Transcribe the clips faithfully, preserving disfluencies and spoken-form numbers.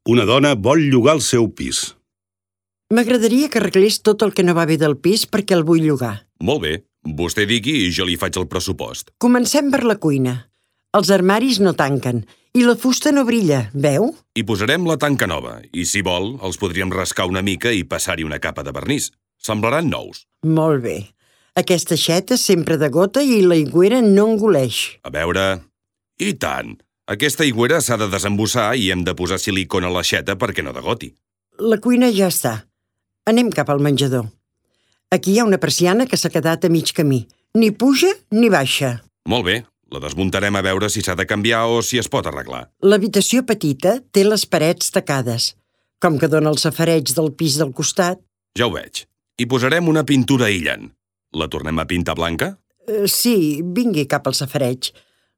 Una dona vol llogar el seu pis. M'agradaria que arreglés tot el que no va bé del pis perquè el vull llogar. Molt bé. Vostè digui i jo li faig el pressupost. Comencem per la cuina. Els armaris no tanquen i la fusta no brilla, veu? Hi posarem la tanca nova i, si vol, els podríem rascar una mica i passar-hi una capa de vernís. Semblaran nous. Molt bé. Aquesta aixeta sempre de gota i l'aigüera no engoleix. A veure... I tant! Aquesta aigüera s'ha de desembussar i hem de posar silicona a l'aixeta perquè no degoti. La cuina ja està. Anem cap al menjador. Aquí hi ha una persiana que s'ha quedat a mig camí. Ni puja ni baixa. Molt bé. La desmuntarem a veure si s'ha de canviar o si es pot arreglar. L'habitació petita té les parets tacades. Com que dona el safareig del pis del costat... Ja ho veig. Hi posarem una pintura aïllant. La tornem a pintar blanca? Uh, sí, vingui cap al safareig.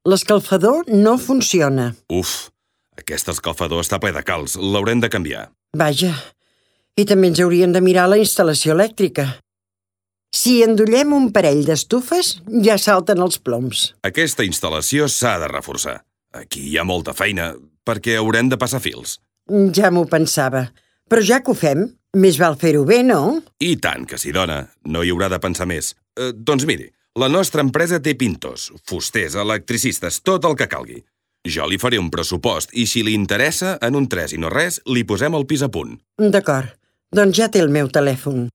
L'escalfador no funciona. Uf, aquest escalfador està ple de calç. L'haurem de canviar. Vaja, i també ens haurien de mirar la instal·lació elèctrica. Si endollem un parell d'estufes, ja salten els ploms. Aquesta instal·lació s'ha de reforçar. Aquí hi ha molta feina, perquè haurem de passar fils. Ja m'ho pensava. Però ja que ho fem, més val fer-ho bé, no? I tant que sí, dona. No hi haurà de pensar més. Eh, doncs miri, la nostra empresa té pintors, fusters, electricistes, tot el que calgui. Jo li faré un pressupost i si li interessa, en un tres i no res, li posem el pis a punt. D'acord. Doncs ja té el meu telèfon.